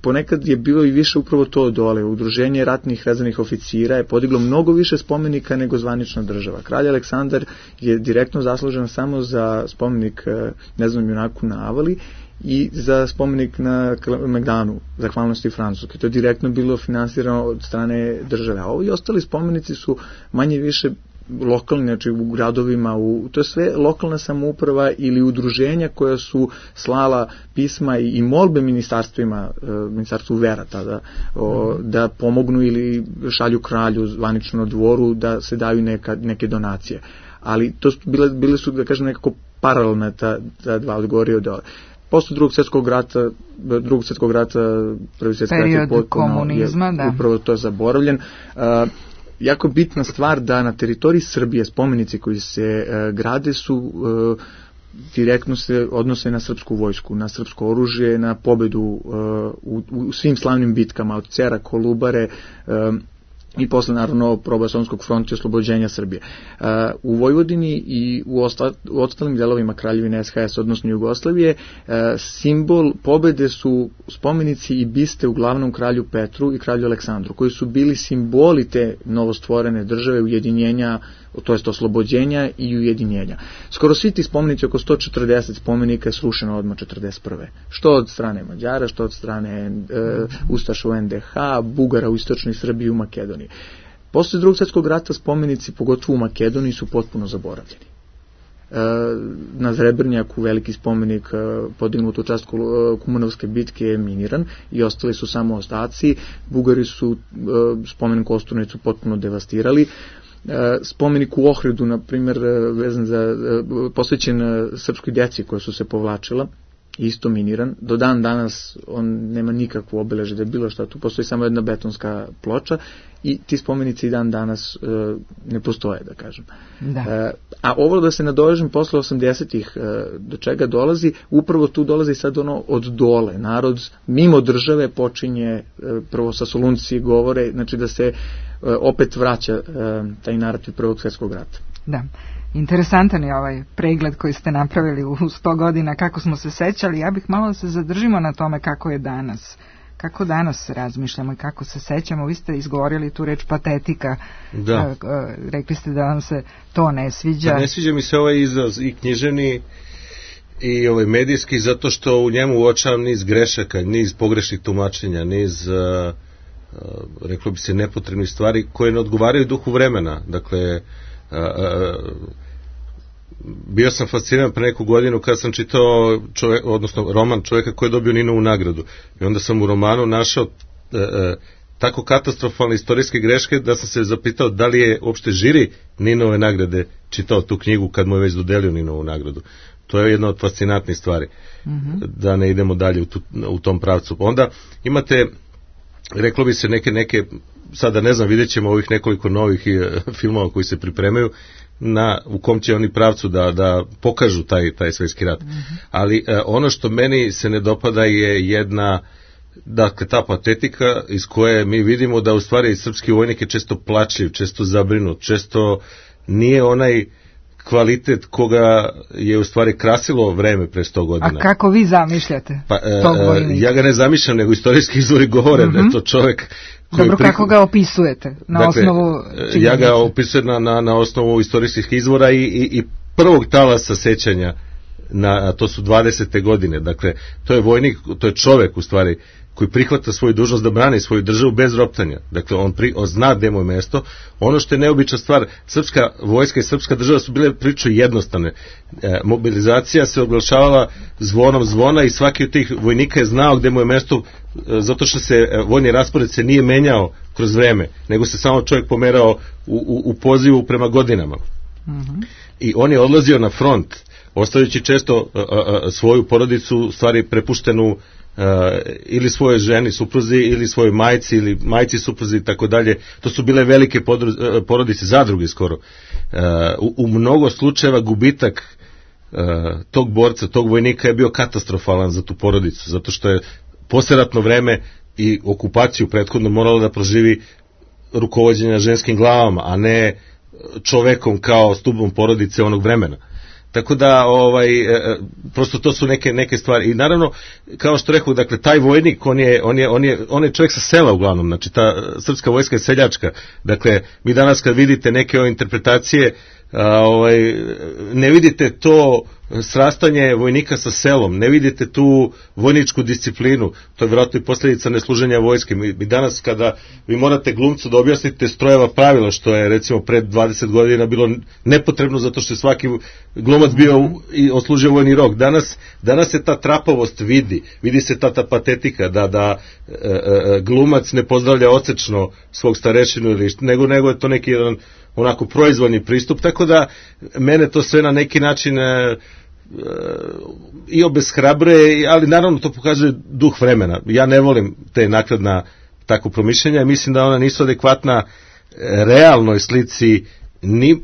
ponekad je bilo i više upravo to dole. Udruženje ratnih rezervnih oficira je podiglo mnogo više spomenika nego zvanična država. Kralj Aleksandar je direktno zaslužen samo za spomenik Neznanom junaku na Avali i za spomenik na Megdanu, zahvalnosti Francuske. To je direktno bilo finansirano od strane države. A ovi ostali spomenici su manje više lokalni, znači u gradovima, to je sve lokalna samouprava ili udruženja koja su slala pisma i molbe ministarstvu vera tada, da pomognu ili šalju kralju zvanično dvoru da se daju neke donacije. Ali to su bile su, da kažem, nekako paralelna ta dva, od gore i od dole. Posle drugog svjetskog rata, Prvi svjetski rat je potpuno upravo to zaboravljen. Jako bitna stvar da na teritoriji Srbije spomenici koji se grade su direktno se odnose na srpsku vojsku, na srpsko oružje, na pobedu u svim slavnim bitkama od Cera, Kolubare i posle naravno proboja Solunskog fronta i oslobođenja Srbije. U Vojvodini i u ostalim delovima Kraljevine SHS, odnosno Jugoslavije, simbol pobede su spomenici i biste uglavnom kralju Petru i kralju Aleksandru, koji su bili simboli te novostvorene države, ujedinjenja, to jest oslobođenja i ujedinjenja. Skoro svi ti spomenici, oko 140 spomenika je srušeno odmah 1941. Što od strane Mađara, što od strane Ustaša u NDH, Bugara u istočnoj Srbiji i u Makedoniji. Posle drugog svjetskog rata spomenici, pogotovo u Makedoniji, su potpuno zaboravljeni. Na Zrebrnjaku veliki spomenik podignut u čast Kumanovske bitke je miniran i ostali su samo ostaci. Bugari su spomenik Kosturnicu potpuno devastirali. Spomenik u Ohridu, na primjer, posvećen srpskoj djeci koja su se povlačila, isto miniran. Do dan danas on nema nikakvu obeležje da je bilo šta, tu postoji samo jedna betonska ploča i ti spomenici i dan danas ne postoje, da kažem. Da. A ovo da se nadovežem posle 80-ih, do čega dolazi, upravo tu dolazi sad ono od dole. Narod mimo države počinje, prvo sa Solunci govore, znači da se opet vraća taj narativ Prvog svjetskog rata. Da. Interesantan je ovaj pregled koji ste napravili u 100 godina, kako smo se sećali. Ja bih malo da se zadržimo na tome kako je danas. Kako danas razmišljamo i kako se sećamo. Vi ste izgovorili tu reč patetika. Da. Rekli ste da vam se to ne sviđa. Pa ne sviđa mi se ovaj izraz i književni i ovaj medijski, zato što u njemu uočavam niz grešaka, niz pogrešnih tumačenja, niz reklo bi se nepotrebnih stvari koje ne odgovaraju duhu vremena. Dakle, bio sam fasciniran pre neku godinu kad sam čitao roman čovjeka koji je dobio Ninovu nagradu i onda sam u romanu našao tako katastrofalne istorijske greške da sam se zapitao da li je uopšte žiri Ninove nagrade čitao tu knjigu kad mu je već dodelio Ninovu nagradu. To je jedna od fascinantnih stvari. Da ne idemo dalje u tom pravcu. Onda imate, reklo bi se, neke sada ne znam, vidjet ćemo ovih nekoliko novih filmova koji se pripremaju u kom će oni pravcu da pokažu taj svjetski rat. Ali ono što meni se ne dopada je jedna, dakle, ta patetika iz koje mi vidimo da u stvari srpski vojnik je često plačljiv, često zabrinut, često nije onaj kvalitet koga je u stvari krasilo vreme pre 100 godina. A kako vi zamišljate tog vojnika? Ja ga ne zamišljam, nego istorijski izvori govore da je to čovjek koji... Dobro, kako ga opisujete? Na osnovu činjenica? Ja ga opisujem na osnovu istorijskih izvora i prvog talasa sećanja, to su 20. godine. Dakle, to je vojnik, to je čovjek u stvari koji prihvata svoju dužnost da brani svoju državu bez roptanja. Dakle, on zna gde mu je mesto. Ono što je neobična stvar, srpska vojska i srpska država su bile prilično jednostavne. Mobilizacija se oglašavala zvonom zvona i svaki od tih vojnika je znao gde mu je mesto, zato što se vojni raspored se nije menjao kroz vreme, nego se samo čovjek pomerao u pozivu prema godinama. I on je odlazio na front, ostavljajući često svoju porodicu stvari prepuštenu ili svoje ženi, supruzi, ili svojoj majci, ili majci, supruzi i tako dalje. To su bile velike porodice, zadruge skoro. U mnogo slučajeva gubitak tog borca, tog vojnika je bio katastrofalan za tu porodicu, zato što je posleratno vreme i okupaciju prethodno moralo da proživi rukovođenja ženskim glavama, a ne čovekom kao stubom porodice onog vremena. Tako da, prosto to su neke stvari. I naravno, kao što rekao, dakle, taj vojnik, on je čovjek sa sela uglavnom, znači ta srpska vojska je seljačka. Dakle, mi danas kad vidite neke interpretacije, ne vidite to srastanje vojnika sa selom, ne vidite tu vojničku disciplinu, to je vjerojatno i posljedica nesluženja vojske. Mi danas kada vi morate glumcu da objasnite strojeva pravila, što je recimo pred 20 godina bilo nepotrebno zato što je svaki glumac bio i oslužio vojni rok. Danas se ta trapavost vidi se ta patetika da glumac ne pozdravlja ocečno svog starešinu ili nego je to neki jedan onako proizvoljni pristup, tako da mene to sve na neki način i obeshrabre, ali naravno to pokazuje duh vremena. Ja ne volim te naknadna tako promišljenja, mislim da ona nisu adekvatna realnoj slici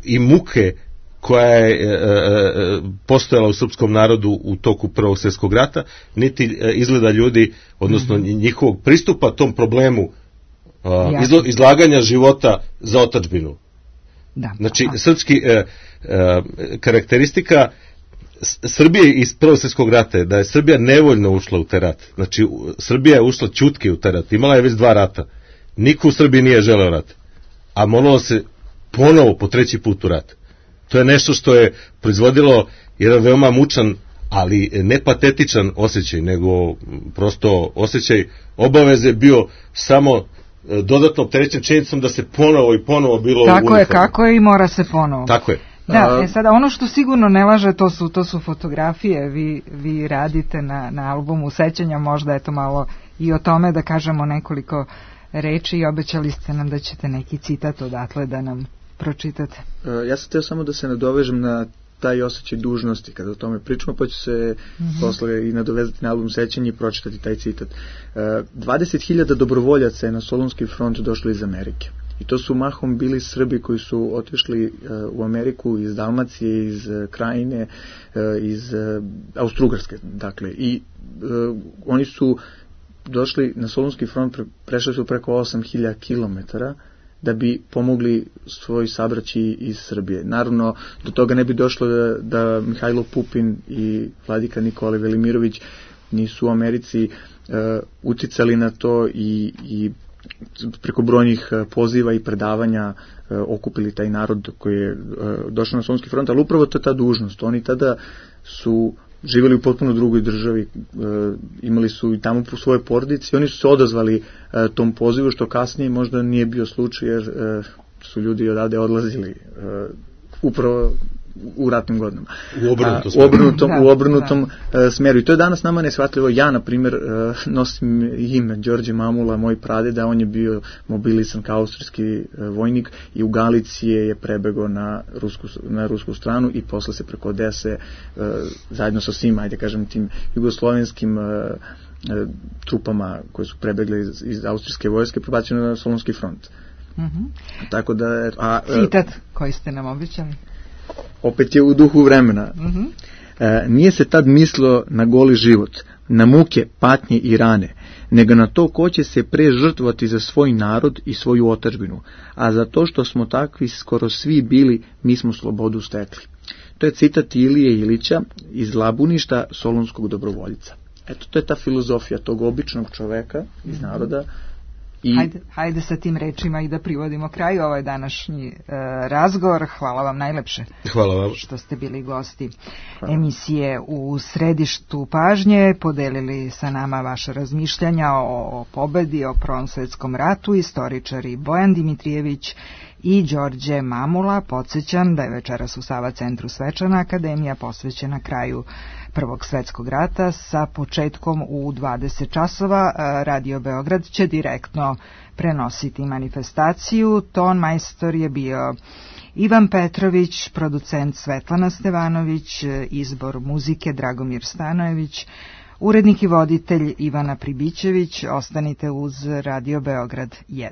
i muke koja je postojala u srpskom narodu u toku Prvog svjetskog rata, niti izgleda ljudi, odnosno njihovog pristupa tom problemu izlaganja života za otadžbinu. Znači, srpski karakteristika Srbije iz Prvog svjetskog rata je da je Srbija nevoljno ušla u taj rat. Znači, Srbija je ušla ćutke u taj rat. Imala je već 2 rata. Niko u Srbiji nije želeo rat. A moralo se ponovo po 3. put u rat. To je nešto što je proizvodilo jedan veoma mučan, ali ne patetičan osjećaj, nego prosto osjećaj obaveze bio samo dodatno opterećen činjenicom da se ponovo i ponovo bilo tako je i mora se ponovo. Tako je. Da, sada ono što sigurno ne laže, to su fotografije, vi radite na albumu sećanja, možda je to malo i o tome da kažemo nekoliko reči i obećali ste nam da ćete neki citat odatle da nam pročitate. Ja sam htio samo da se nadovežem na taj osjećaj dužnosti kada o tome pričamo, pa ću se posle i nadovezati na album Sećanje i pročitati taj citat. 20.000 dobrovoljaca je na Solunski front došlo iz Amerike. I to su mahom bili Srbi koji su otišli u Ameriku iz Dalmacije, iz Krajine, iz Austrougarske. Dakle, i oni su došli na Solunski front, prešli su preko 8.000 kilometara da bi pomogli svoj sabraći iz Srbije. Naravno, do toga ne bi došlo da Mihajlo Pupin i vladika Nikola Velimirović nisu u Americi uticali na to i preko brojnih poziva i predavanja okupili taj narod koji je došao na Solunski front, ali upravo to je ta dužnost. Oni tada su živjeli u potpuno drugoj državi, imali su i tamo po svoje porodice i oni su se odazvali tom pozivu, što kasnije možda nije bio slučaj jer su ljudi odavde odlazili upravo u ratnim godinama. U obrnutom smeru. I to je danas nama neshvatljivo. Ja, na primjer, nosim ime Đorđe Mamula, moj pradeda, on je bio mobilisan kao austrijski vojnik i u Galicije je prebegao na rusku stranu i posle se preko Odese zajedno sa svim, ajde kažem, tim jugoslovenskim trupama koje su prebegli iz austrijske vojske prebačeni na Solunski front. Tako da... Citat koji ste nam običali. Opet je u duhu vremena. Nije se tad mislilo na goli život, na muke, patnje i rane, nego na to ko će se pre žrtvovati za svoj narod i svoju otadžbinu, a za to što smo takvi skoro svi bili, mi smo slobodu stekli. To je citat Ilije Ilića iz Labuništa solunskog dobrovoljica. Eto, to je ta filozofija tog običnog čoveka iz naroda. Hajde sa tim rečima i da privodimo kraju ovaj današnji razgovor. Hvala vam najlepše. Hvala vam što ste bili gosti emisije U središtu pažnje, podelili sa nama vaše razmišljanja o pobedi, o Prvom svetskom ratu, istoričari Bojan Dimitrijević i Đorđe Mamula. Podsjećam da je večeras u Sava centru svečana akademija posvećena kraju Prvog svetskog rata sa početkom u 20 časova. Radio Beograd će direktno prenositi manifestaciju. Ton majstor je bio Ivan Petrović, producent Svetlana Stevanović, izbor muzike Dragomir Stanojević, urednik i voditelj Ivana Pribićević. Ostanite uz Radio Beograd 1.